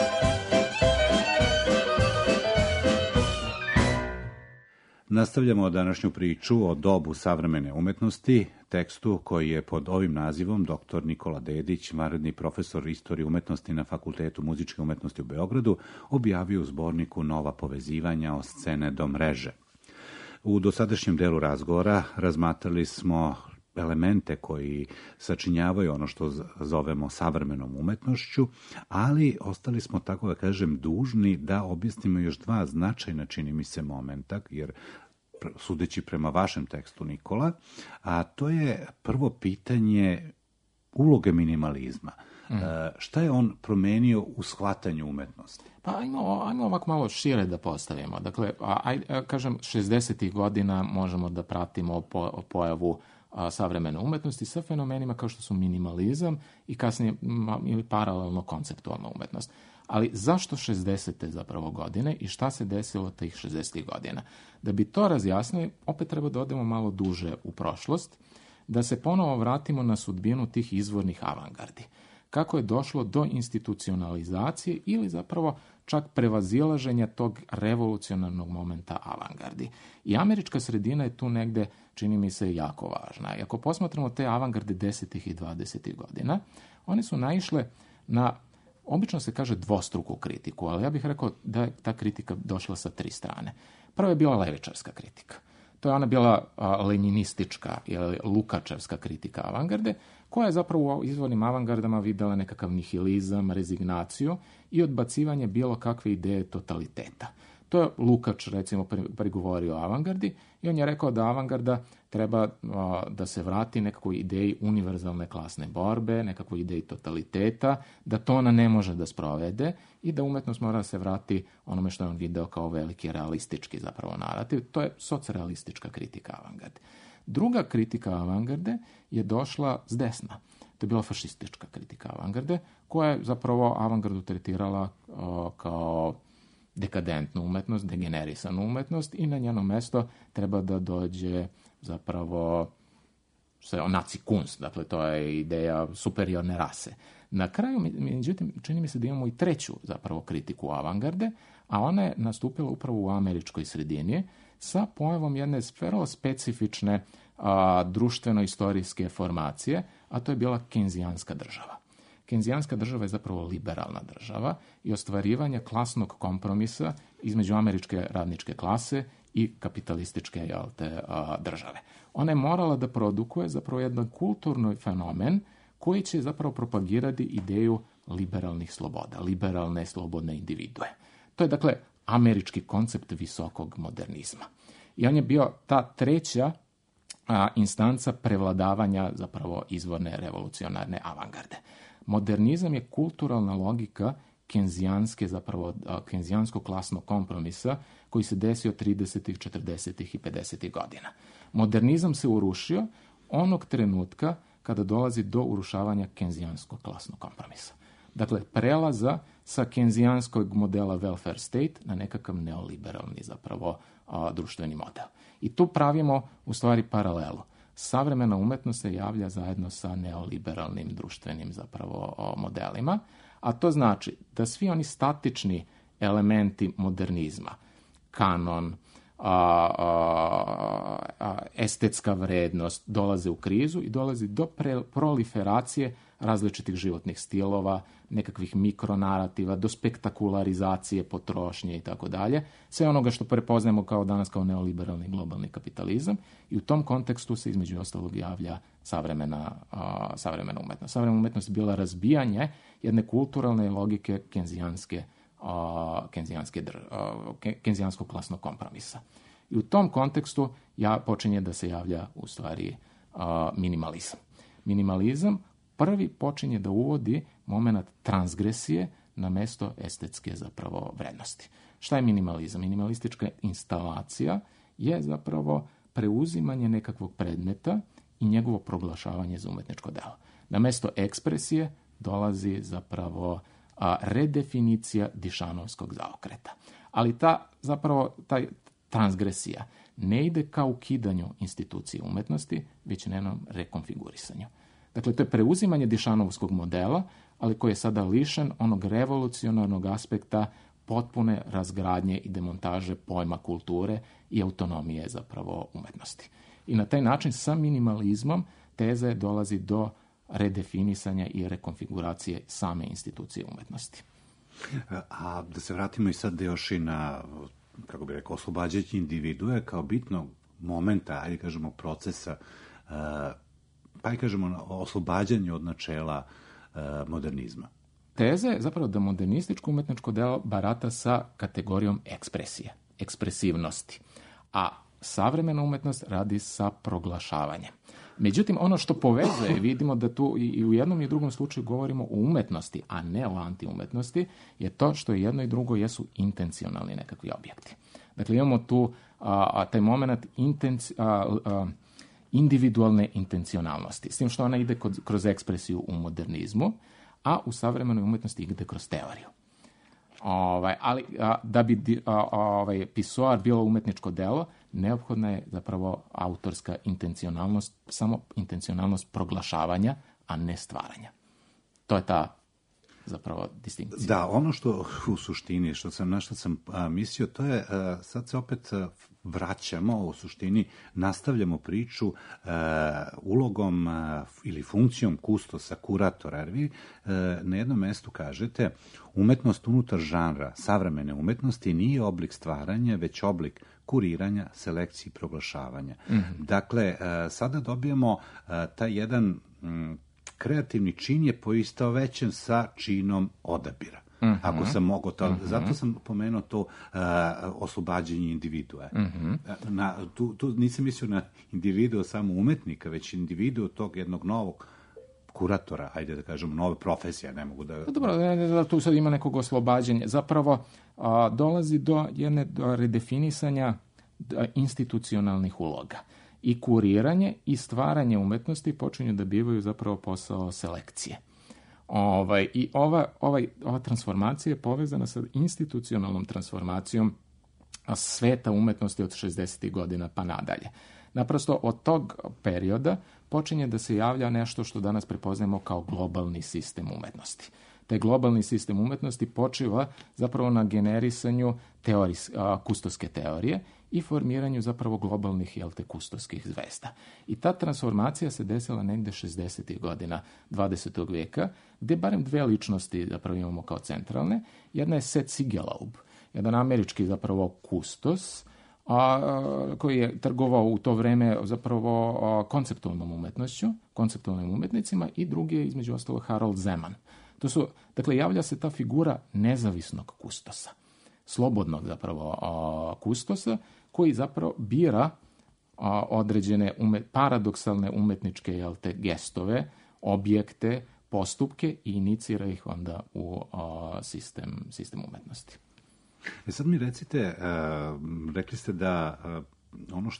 A: Nastavljamo današnju priču o dobu savremene umetnosti, tekstu koji je pod ovim nazivom dr. Nikola Dedić, vanredni profesor istorije umetnosti na Fakultetu muzičke umetnosti u Beogradu, objavio u zborniku Nova povezivanja od scene do mreže. U dosadašnjem delu razgovora razmatrali smo elemente koji sačinjavaju ono što zovemo savremenom umetnošću, ali ostali smo, tako da kažem, dužni da objasnimo još dva značajna, čini mi se, momenta, jer sudeći prema vašem tekstu, Nikola, a to je prvo pitanje uloge minimalizma. Šta je on promenio u shvatanju umetnosti?
F: Pa ajmo ovako malo šire da postavimo. Dakle, kažem, 60. godina možemo da pratimo pojavu savremene umetnosti sa fenomenima kao što su minimalizam i kasnije ili paralelno konceptualna umetnost. Ali zašto 60. zapravo godine i šta se desilo tih 60. godina? Da bi to razjasnili, opet treba da odemo malo duže u prošlost, da se ponovo vratimo na sudbinu tih izvornih avangardi. Kako je došlo do institucionalizacije ili zapravo čak prevazilaženja tog revolucionarnog momenta avangardi. I američka sredina je tu negde, čini mi se, jako važna. I ako posmatramo te avangarde 10. i 20. godina, one su naišle na, obično se kaže, dvostruku kritiku, ali ja bih rekao da je ta kritika došla sa tri strane. Prva je bila levičarska kritika. To je ona bila leninistička ili lukačevska kritika avangarde, koja je zapravo u izvornim avangardama videla nekakav nihilizam, rezignaciju i odbacivanje bilo kakve ideje totaliteta. To je Lukač, recimo, prigovorio o avangardi i on je rekao da avangarda treba da se vrati nekakvoj ideji univerzalne klasne borbe, nekakvoj ideji totaliteta, da to ona ne može da sprovede i da umetnost mora da se vrati onome što je on video kao veliki realistički zapravo narativ. To je socrealistička kritika avangarde. Druga kritika avangarde je došla s desna. To je bila fašistička kritika avangarde, koja je zapravo avangardu tretirala kao dekadentnu umetnost, degenerisanu umetnost i na njeno mesto treba da dođe zapravo nazi kunst, dakle to je ideja superiorne rase. Na kraju, međutim, čini mi se da imamo i treću zapravo kritiku avangarde, a ona je nastupila upravo u američkoj sredini sa pojavom jedne vrlo specifične društveno-istorijske formacije, a to je bila kenzijanska država. Kenzijanska država je zapravo liberalna država i ostvarivanje klasnog kompromisa između američke radničke klase i kapitalističke države. Ona je morala da produkuje zapravo jedan kulturni fenomen koji će zapravo propagirati ideju liberalnih sloboda, liberalne slobodne individue. To je dakle američki koncept visokog modernizma. I on je bio ta treća instanca prevladavanja zapravo izvorne revolucionarne avangarde. Modernizam je kulturalna logika kenzijanskog klasnog kompromisa koji se desio 30., 40. i 50. godina. Modernizam se urušio onog trenutka kada dolazi do urušavanja kenzijanskog klasnog kompromisa. Dakle, prelaza sa kenzijanskog modela welfare state na nekakav neoliberalni zapravo društveni model. I tu pravimo u stvari paralelu. Savremena umetnost se javlja zajedno sa neoliberalnim društvenim zapravo modelima, a to znači da svi oni statični elementi modernizma, kanon, estetska vrednost, dolaze u krizu i dolazi do proliferacije različitih životnih stilova, nekakvih mikronarativa, do spektakularizacije potrošnje i tako dalje. Sve onoga što prepoznajemo kao danas kao neoliberalni globalni kapitalizam i u tom kontekstu se između ostalog javlja savremena umetnost. Savremena umetnost je bila razbijanje jedne kulturalne logike kenzijanskog klasnog kompromisa. I u tom kontekstu počinje da se javlja u stvari minimalizam. Minimalizam prvi počinje da uvodi moment transgresije na mesto estetske zapravo vrednosti. Šta je minimalizam? Minimalistička instalacija je zapravo preuzimanje nekakvog predmeta i njegovo proglašavanje za umetničko delo. Na mesto ekspresije dolazi zapravo redefinicija dišanovskog zaokreta. Ali ta transgresija ne ide ka ukidanju institucije umetnosti, već njenom rekonfigurisanju. Dakle, to je preuzimanje dišanovskog modela, ali koji je sada lišen onog revolucionarnog aspekta potpune razgradnje i demontaže pojma kulture i autonomije zapravo umetnosti. I na taj način sa minimalizmom teze dolazi do redefinisanja i rekonfiguracije same institucije umetnosti.
A: A da se vratimo i sad još i na, kako bih rekao, oslobađanje individue kao bitnog momenta, ajde kažemo, procesa, pa i kažemo oslobađanje od načela modernizma.
F: Teza je zapravo da modernističko umetničko delo barata sa kategorijom ekspresije, ekspresivnosti, a savremena umetnost radi sa proglašavanjem. Međutim, ono što povezuje, vidimo da tu i u jednom i drugom slučaju govorimo o umetnosti, a ne o antiumetnosti, je to što jedno i drugo jesu intencionalni nekakvi objekti. Dakle, imamo tu taj moment individualne intencionalnosti, s tim što ona ide kroz ekspresiju u modernizmu, a u savremenoj umetnosti ide kroz teoriju. Ali da bi pisoar bilo umetničko delo, neophodna je zapravo autorska intencionalnost, samo intencionalnost proglašavanja, a ne stvaranja. To je ta zapravo distinkcija.
A: Da, ono što u suštini, na što sam mislio, to je, sad se opet vraćamo, u suštini nastavljamo priču ulogom ili funkcijom kustosa, kuratora, jer vi na jednom mestu kažete umetnost unutar žanra savremene umetnosti nije oblik stvaranja, već oblik kuriranja, selekcije i proglašavanja. Dakle, sada dobijamo taj jedan kreativni čin je poistovećen sa činom odabira. Ako sam mogao to, zato sam pomenuo to oslobađanje individua. Tu nisam mislio na individuo samo umetnika, već individuo tog jednog novog kuratora, ajde da kažem, nove profesije, ne mogu da...
F: Dobro, tu sad ima nekog oslobađanja. Zapravo, dolazi do jedne redefinisanja institucionalnih uloga. I kuriranje i stvaranje umetnosti počinju da bivaju zapravo posao selekcije. I ova transformacija je povezana sa institucionalnom transformacijom sveta umetnosti od 60. godina pa nadalje. Naprosto od tog perioda počinje da se javlja nešto što danas prepoznajemo kao globalni sistem umetnosti. Taj globalni sistem umetnosti počiva zapravo na generisanju kustoske teorije i formiranju zapravo globalnih, kustoskih zvezda. I ta transformacija se desila negde 60. godina 20. veka, gde barem dve ličnosti zapravo imamo kao centralne. Jedna je Seth Siegelaub, jedan američki zapravo kustos, koji je trgovao u to vreme zapravo konceptualnom umetnošću, konceptualnim umetnicima, i drugi je između ostalog Harold Zeman. Dakle, javlja se ta figura nezavisnog kustosa, slobodnog zapravo kustosa, koji zapravo bira određene paradoksalne umetničke gestove, objekte, postupke i inicira ih onda u sistem umetnosti.
A: Sad mi recite, rekli ste da ono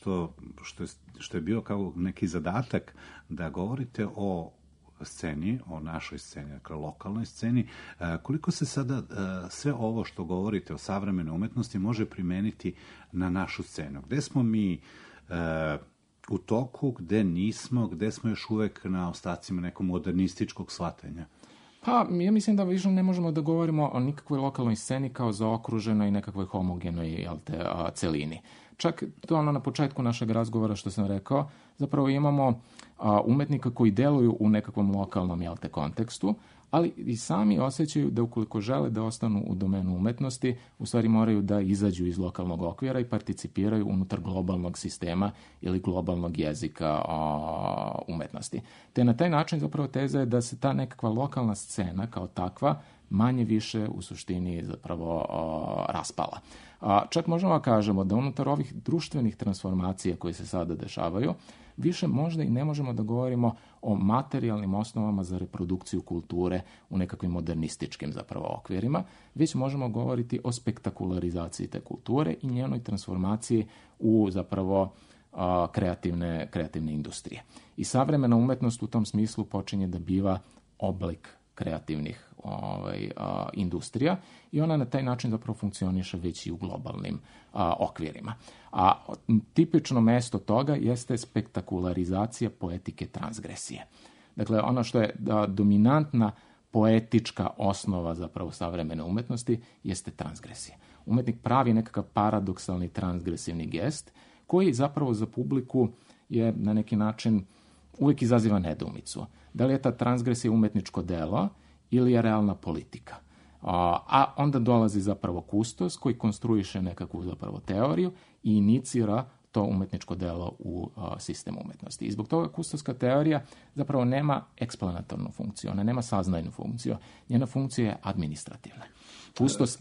A: što je bio kao neki zadatak da govorite o sceni, o našoj sceni, dakle lokalnoj sceni, koliko se sada sve ovo što govorite o savremenoj umetnosti može primeniti na našu scenu? Gde smo mi u toku, gde nismo, gde smo još uvek na ostacima nekog modernističkog shvatanja?
F: Pa, ja mislim da više ne možemo da govorimo o nikakvoj lokalnoj sceni kao zaokruženoj i nekakvoj homogenoj celini. Čak to na početku našeg razgovora što sam rekao, zapravo imamo umetnika koji deluju u nekakvom lokalnom kontekstu, ali i sami osjećaju da ukoliko žele da ostanu u domenu umetnosti, u stvari moraju da izađu iz lokalnog okvira i participiraju unutar globalnog sistema ili globalnog jezika umetnosti. Te na taj način zapravo teza je da se ta nekakva lokalna scena kao takva manje više u suštini zapravo raspala. Čak možemo da kažemo da unutar ovih društvenih transformacija koje se sada dešavaju, više možda i ne možemo da govorimo o materijalnim osnovama za reprodukciju kulture u nekakvim modernističkim zapravo okvirima, već možemo govoriti o spektakularizaciji te kulture i njenoj transformaciji u zapravo kreativne industrije. I savremena umetnost u tom smislu počinje da biva oblik kreativnih industrija i ona na taj način zapravo funkcioniše već i u globalnim okvirima. A tipično mesto toga jeste spektakularizacija poetike transgresije. Dakle, ono što je dominantna poetička osnova zapravo savremene umetnosti jeste transgresija. Umetnik pravi nekakav paradoksalni transgresivni gest koji zapravo za publiku je na neki način uvijek izaziva nedoumicu. Da li je ta transgresija umetničko delo ili je realna politika? A onda dolazi zapravo kustos koji konstruiše nekakvu zapravo teoriju i inicira to umetničko delo u sistem umetnosti. I zbog toga kustoska teorija zapravo nema eksplanatornu funkciju, ona nema saznajnu funkciju. Njena funkcija je administrativna. Kustos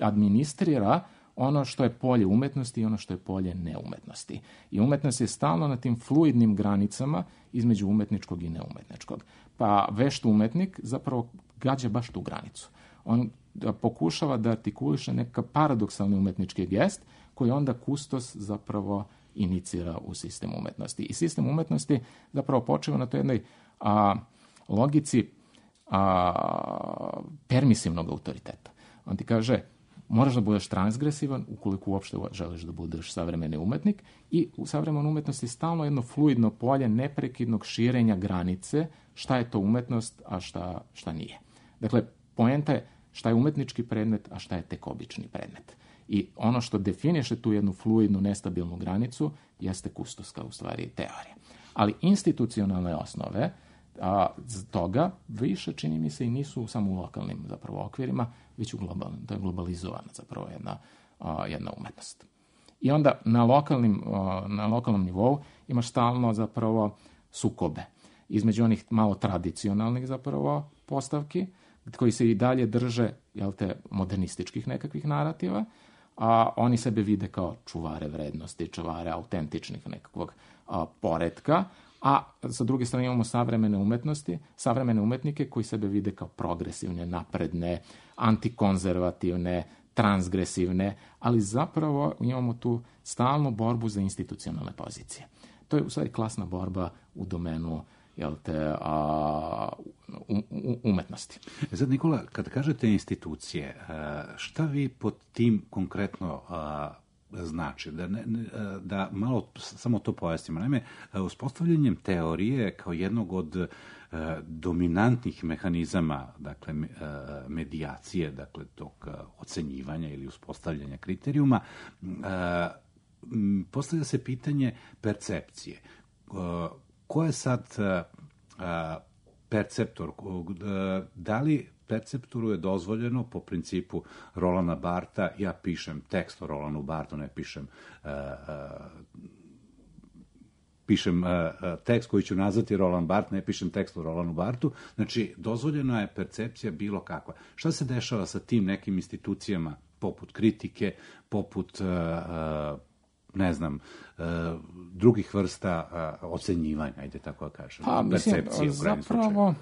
F: administrira ono što je polje umetnosti i ono što je polje neumetnosti. I umetnost je stalno na tim fluidnim granicama između umetničkog i neumetničkog. Pa vešt umetnik zapravo gađa baš tu granicu. On pokušava da artikuliše neka paradoksalni umetnički gest koji onda kustos zapravo inicira u sistem umetnosti. I sistem umetnosti zapravo počeva na toj jednoj logici permisivnog autoriteta. On ti kaže, moraš da budeš transgresivan ukoliko uopšte želiš da budeš savremeni umetnik i u savremenoj umetnosti je stalno jedno fluidno polje neprekidnog širenja granice šta je to umetnost, a šta nije. Dakle, poenta je šta je umetnički predmet, a šta je tek obični predmet. I ono što definiše tu jednu fluidnu, nestabilnu granicu jeste kustoska u stvari teorija. Ali institucionalne osnove toga više, čini mi se, i nisu samo u lokalnim zapravo okvirima, već u globalnim. To je globalizovana zapravo jedna umetnost. I onda na lokalnom nivou imaš stalno zapravo sukobe između onih malo tradicionalnih zapravo postavki, koji se i dalje drže, modernističkih nekakvih narativa, a oni sebe vide kao čuvare vrednosti, čuvare autentičnih nekakvog poretka, a sa druge strane imamo savremene umetnike koji sebe vide kao progresivne, napredne, antikonzervativne, transgresivne, ali zapravo imamo tu stalnu borbu za institucionalne pozicije. To je u stvari klasna borba u domenu umetnosti.
L: Sad, Nikola, kad kažete institucije, šta vi pod tim konkretno znači? Da malo samo to pojasnimo. Naime, uspostavljanjem teorije kao jednog od dominantnih mehanizama, dakle, medijacije, dakle, tog ocenjivanja ili uspostavljanja kriterijuma, postavlja se pitanje percepcije. Ko je sad perceptor? Da li perceptoru je dozvoljeno po principu Rolanda Bartha, ja pišem tekst o Rolandu Barthu, ne pišem tekst koji ću nazvati Roland Barthes, ne pišem tekst o Rolandu Barthu, znači dozvoljena je percepcija bilo kakva. Šta se dešava sa tim nekim institucijama poput kritike, poput drugih vrsta ocenjivanja, ajde tako da kažem, percepcije u krajnjem slučaju? Zapravo,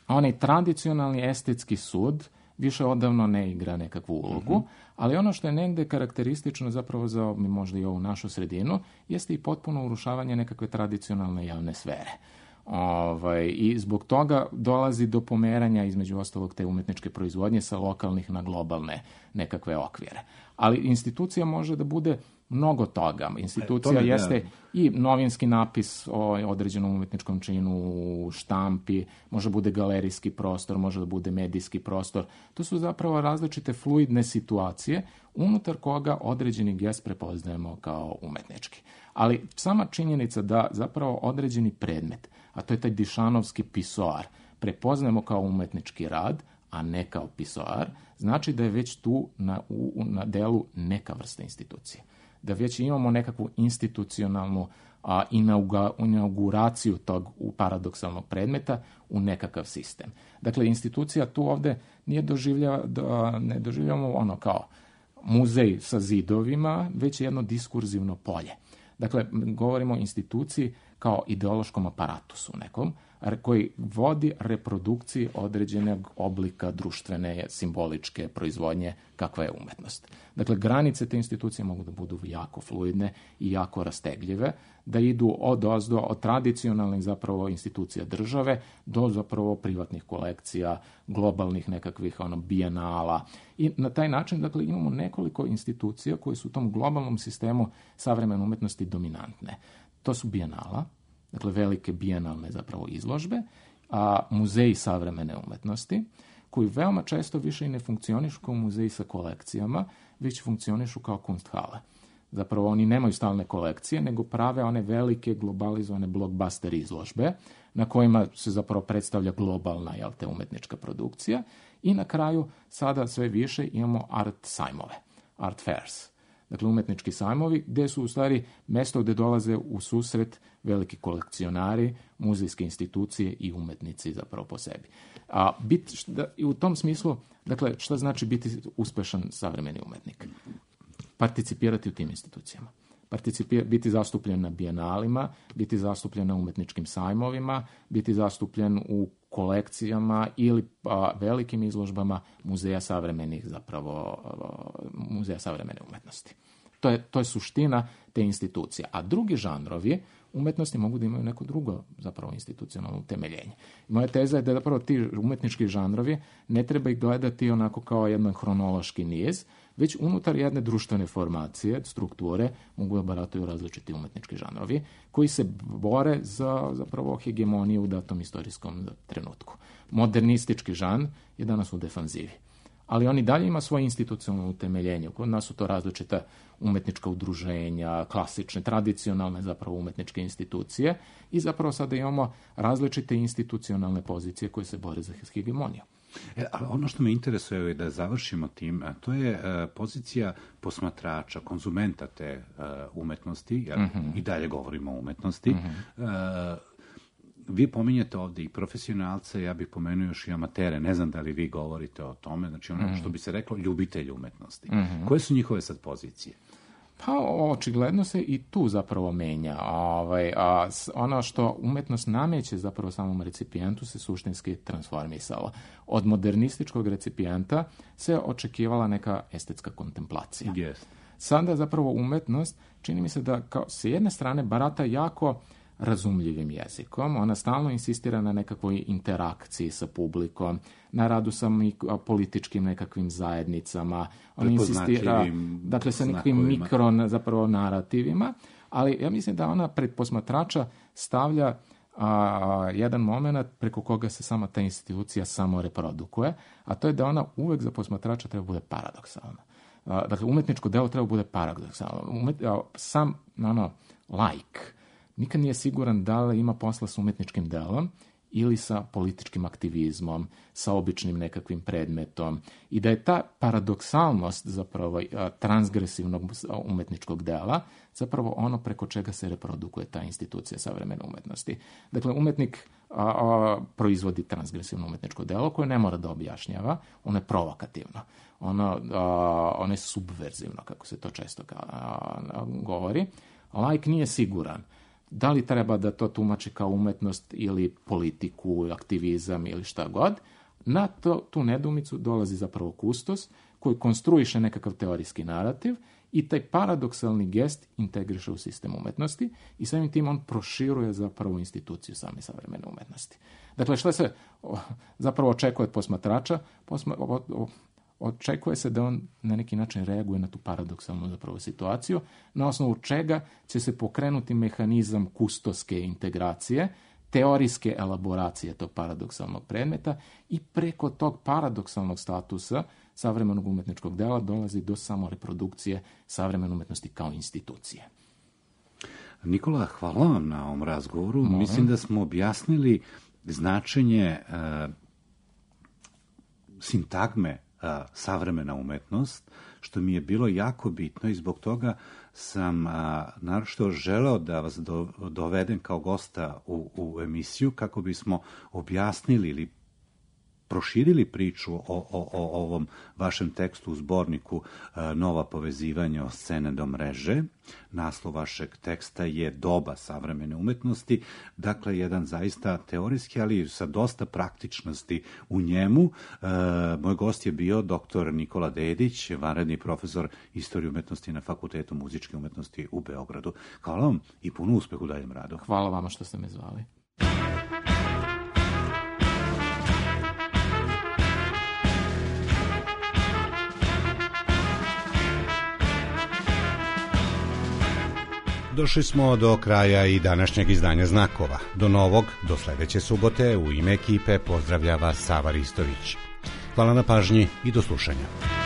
F: onaj tradicionalni estetski sud više odavno ne igra nekakvu ulogu, ali ono što je negde karakteristično zapravo za možda i ovu našu sredinu, jeste i potpuno urušavanje nekakve tradicionalne javne sfere. I zbog toga dolazi do pomeranja između ostalog te umetničke proizvodnje sa lokalnih na globalne nekakve okvire. Ali institucija može da bude mnogo toga. Institucija jeste i novinski napis o određenom umetničkom činu u štampi, može da bude galerijski prostor, može da bude medijski prostor. To su zapravo različite fluidne situacije unutar koga određeni gest prepoznajemo kao umetnički. Ali sama činjenica da zapravo određeni predmet, a to je taj dišanovski pisoar, prepoznajemo kao umetnički rad, a ne kao pisoar, znači da je već tu na delu neka vrsta institucije. Da već imamo nekakvu institucionalnu inauguraciju tog paradoksalnog predmeta u nekakav sistem. Dakle, institucija tu ovde ne doživljavamo ono kao muzej sa zidovima, već je jedno diskurzivno polje. Dakle, govorimo o instituciji kao ideološkom aparatusu nekom, koji vodi reprodukciji određenog oblika društvene, simboličke proizvodnje kakva je umetnost. Dakle, granice te institucije mogu da budu jako fluidne i jako rastegljive, da idu od tradicionalnih zapravo institucija države do zapravo privatnih kolekcija, globalnih nekakvih bijenala. I na taj način, dakle, imamo nekoliko institucija koje su u tom globalnom sistemu savremene umetnosti dominantne. To su bijenala, dakle velike bijenalne zapravo izložbe, a muzeji savremene umetnosti, koji veoma često više i ne funkcionišu kao muzeji sa kolekcijama, već funkcionišu kao kunsthale. Zapravo oni nemaju stalne kolekcije, nego prave one velike globalizovane blockbuster izložbe, na kojima se zapravo predstavlja globalna umetnička produkcija, i na kraju sada sve više imamo art sajmove, art fairs. Dakle, umetnički sajmovi, gde su u stvari mesto gde dolaze u susret veliki kolekcionari, muzejske institucije i umetnici zapravo po sebi. I u tom smislu, dakle, šta znači biti uspešan savremeni umetnik? Participirati u tim institucijama. Biti zastupljen na bijenalima, biti zastupljen na umetničkim sajmovima, biti zastupljen u kolekcijama ili velikim izložbama muzeja savremenih muzeja savremene umetnosti. To je suština te institucije. A drugi žanrovi umetnosti mogu da imaju neko drugo zapravo institucionalno utemeljenje. Moja teza je da zapravo ti umetnički žanrovi ne treba ih gledati onako kao jedan hronološki niz, već unutar jedne društvene formacije, strukture, mogu da barataju različiti umetnički žanrovi koji se bore za zapravo hegemoniju u datom istorijskom trenutku. Modernistički žanr je danas u defanzivi, ali on i dalje ima svoje institucionalno utemeljenje. Kod nas su to različita umetnička udruženja, klasične, tradicionalne zapravo umetničke institucije i zapravo sada imamo različite institucionalne pozicije koje se bore za hegemoniju.
L: Ali ono što me interesuje je da završimo tim, to je pozicija posmatrača, konzumenta te umetnosti, jer i dalje govorimo o umetnosti. Vi pominjete ovde i profesionalce, ja bih pomenuo još i amatere, ne znam da li vi govorite o tome, znači ono što bi se reklo ljubitelji umetnosti. Koje su njihove sad pozicije?
F: Pa očigledno se i tu zapravo menja. Ono što umetnost nameće zapravo samom recipijentu se suštinski transformisalo. Od modernističkog recipijenta se očekivala neka estetska kontemplacija.
L: Yes.
F: Sada zapravo umetnost, čini mi se da kao s jedne strane barata jako razumljivim jezikom. Ona stalno insistira na nekakvoj interakciji sa publikom, na radu sa političkim nekakvim zajednicama. Ona insistira, dakle, sa nekakvim mikro zapravo narativima, ali ja mislim da ona pred posmatrača stavlja jedan moment preko koga se sama ta institucija samo reprodukuje, a to je da ona uvek za posmatrača treba bude paradoksalna. Dakle, umetničko delo treba bude paradoksalno. Sam laik nikad nije siguran da li ima posla s umetničkim delom ili sa političkim aktivizmom, sa običnim nekakvim predmetom, i da je ta paradoksalnost zapravo transgresivnog umetničkog dela zapravo ono preko čega se reprodukuje ta institucija savremene umetnosti. Dakle, umetnik proizvodi transgresivno umetničko delo koje ne mora da objašnjava, ono je provokativno, ono je subverzivno, kako se to često govori. Laik nije siguran da li treba da to tumači kao umetnost ili politiku, aktivizam ili šta god. Na tu nedoumicu dolazi zapravo kustos koji konstruiše nekakav teorijski narativ i taj paradoksalni gest integriše u sistem umetnosti i samim tim on proširuje zapravo instituciju same savremene umetnosti. Dakle, što se zapravo očekuje od posmatrača? Očekuje se da on na neki način reaguje na tu paradoksalnu zapravo situaciju, na osnovu čega će se pokrenuti mehanizam kustoske integracije, teorijske elaboracije tog paradoksalnog predmeta i preko tog paradoksalnog statusa savremenog umetničkog dela dolazi do samoreprodukcije savremene umetnosti kao institucije.
L: Nikola, hvala vam na ovom razgovoru. Mislim da smo objasnili značenje sintagme savremena umetnost, što mi je bilo jako bitno i zbog toga sam naročito želeo da vas dovedem kao gosta u emisiju kako bismo objasnili ili proširili priču o ovom vašem tekstu u zborniku Nova povezivanja od scene do mreže. Naslov vašeg teksta je Doba savremene umetnosti, dakle jedan zaista teorijski, ali sa dosta praktičnosti u njemu. Moj gost je bio dr. Nikola Dedić, vanredni profesor istorije umetnosti na Fakultetu muzičke umetnosti u Beogradu. Hvala vam i puno uspeha u daljem radu.
F: Hvala vama što ste me zvali.
A: Došli smo do kraja i današnjeg izdanja Znakova. Do novog, do sledeće subote, u ime ekipe pozdravlja vas Sava Ristović. Hvala na pažnji i do slušanja.